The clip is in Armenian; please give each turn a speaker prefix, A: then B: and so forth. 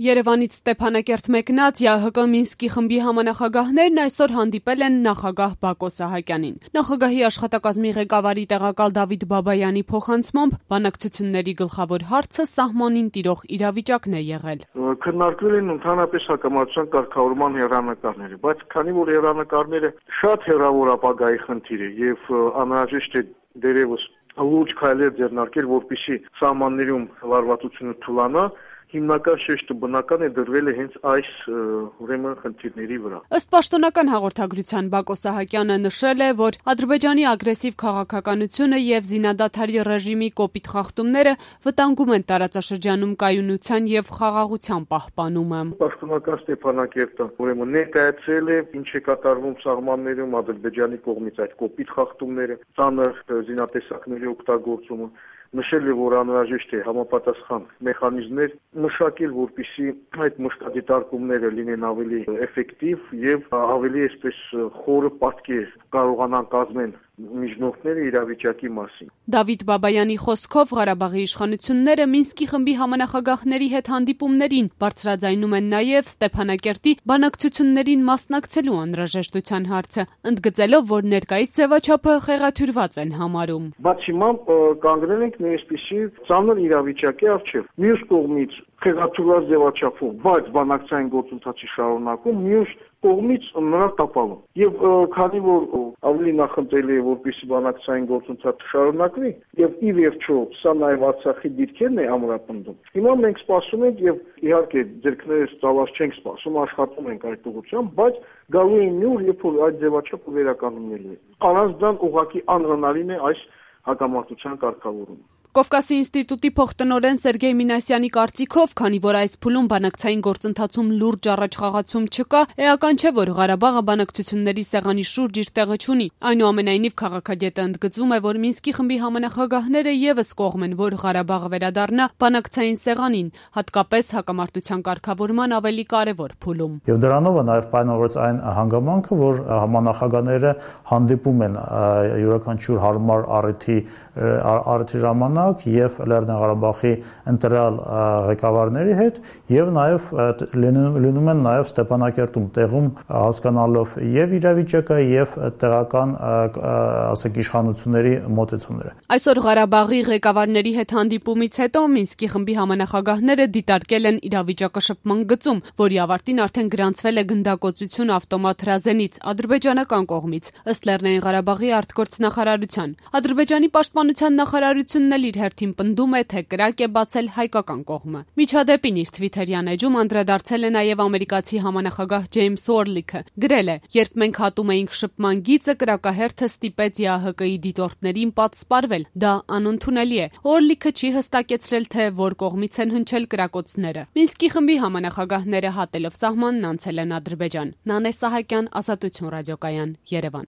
A: Երևանից Ստեփանակերտ մեկնած ԵԱՀԿ Մինսկի խմբի համանախագահներն այսօր հանդիպել են նախագահ Բակո Սահակյանին։ Նախագահի աշխատակազմի ղեկավարի տեղակալ Դավիթ Բաբայանի փոխանցմամբ բանակցությունների գլխավոր հարցը սահմանին տիրող իրավիճակն է եղել։
B: Քննարկվել են ընդհանրապես հակամարտության կարգավորման հեռանկարները, բայց քանի որ հեռանկարները շատ հեռավոր ապագայի խնդիր է եւ անհրաժեշտ է դերևս լուրջ քայլեր ձեռնարկել, որպեսզի սահմաններում լարվածությունը թուլանա, հիմնական շեշտը բնական է դրվել է հենց այս խնդիրների վրա։
A: Ըստ պաշտոնական հաղորդագրության Բակո Սահակյանը նշել է, որ Ադրբեջանի ագրեսիվ քաղաքականությունը եւ զինադադարի ռեժիմի կոպիտ խախտումները վտանգում են տարածաշրջանում կայունության եւ խաղաղության պահպանումը։
B: Պաշտոնական Ստեփանակերտը ուրեմն ներկայացրել է ինչ է կատարվում սահմաններում Ադրբեջանի կողմից այդ կոպիտ խախտումները, ծանր զինատեսակների օգտագործումը, նշել է, որ անհրաժեշտ է համապատասխան մեխանիզմներ մշակել, որպեսզի այդ մշտադիտարկումները լինեն ավելի էֆեկտիվ եւ ավելի այսպես խորը պատկեր կարողանան կազմել միջնորդները իրավիճակի մասին։
A: Դավիթ Բաբայանի խոսքով Ղարաբաղի իշխանությունները Մինսկի խմբի համանախագահների հետ հանդիպումներին բարձրաձայնում են նաև Ստեփանակերտի բանակցություններին մասնակցելու անհրաժեշտության հարցը, ընդգծելով, որ ներկայիս ձևաչափը խեղաթյուրված են համարում։
B: Բացի հիմա կանգնել ենք մի այսպիսի ծանր իրավիճակի առջև։ Մյուս կողմից խեղաթյուրված ձևաչափում, բայց բանակցային գործընթացի շարունակում, մյուս կողմից նրա տապալում։ Եվ քանի որ ավելի նախընտրելի է, որպեսզի բանակցային գործընթացը շարունակվի, եւ ի վերջո սա նաեւ Արցախի դիրքերն է ամրապնդում։ Հիմա մենք սպասում ենք եւ իհարկե ձեռքներս ծավալ չենք սպասում, աշխատում ենք այդ ուղղությամբ, բայց գալու է մի օր, երբ որ այդ ձևաչափը վերականգնվելու է։ Առանց դրան ուղղակի անհնարին է այս հակամարտության կարգավորումը։
A: Կովկասի ինստիտուտի փոխտնօրեն Սերգեյ Մինասյանի կարծիքով, քանի որ այս փուլում բանակցային գործընթացում լուրջ առաջխաղացում չկա, էական չէ, որ Ղարաբաղը բանակցությունների սեղանի շուրջ իր տեղը չունի։ Այնուամենայնիվ քաղաքագետը ընդգծում է, որ Մինսկի խմբի համանախագահները եւս կողմ են, որ Ղարաբաղը վերադառնա բանակցային սեղանին, հատկապես հակամարտության կարգավորման ավելի կարևոր փուլում։
C: Եվ դրանով է նաեւ պայմանավորված այն հանգամանքը, որ համանախագահները հանդիպում են յուրաքանչյուր հարմար առիթի ժամանակ եւ Լեռնային Ղարաբաղի ընտրյալ ղեկավարների հետ եւ նաեւ լինում են նաեւ Ստեփանակերտում տեղում հասկանալով եւ իրավիճակը եւ տեղական ասենք իշխանությունների մոտեցումները։
A: Այսօր Ղարաբաղի ղեկավարների հետ հանդիպումից հետո Մինսկի խմբի համանախագահները դիտարկել են իրավիճակաշփման գծում, որի ավարտին արդեն գրանցվել է գնդակոծություն ավտոմատ հրազենից ադրբեջանական կողմից, ըստ Լեռնային Ղարաբաղի արտգործնախարարության։ Ադրբեջանի պաշտպանության նախարարությունն իր հերթին պնդում է, թե կրակ է բացել հայկական կողմը։ Միջադեպին իր Twitter-յան էջում անդրադարձել է նաև ամերիկացի համանախագահ Ջեյմս Օրլիքը։ Գրել է. «Երբ մենք հատում էինք շփման գիծը, կրակահերթը ստիպեց ԵԱՀԿ-ի դիտորդներին պատսպարվել։ Դա անընդունելի է»։ Օրլիքը չի հստակեցրել, թե որ կողմից են հնչել կրակոցները։ Մինսկի խմբի համանախագահները հատելով սահմանն անցել են Ադրբեջան։ Նանե Սահակյան, Ազատություն ռադիոկայան, Երևան։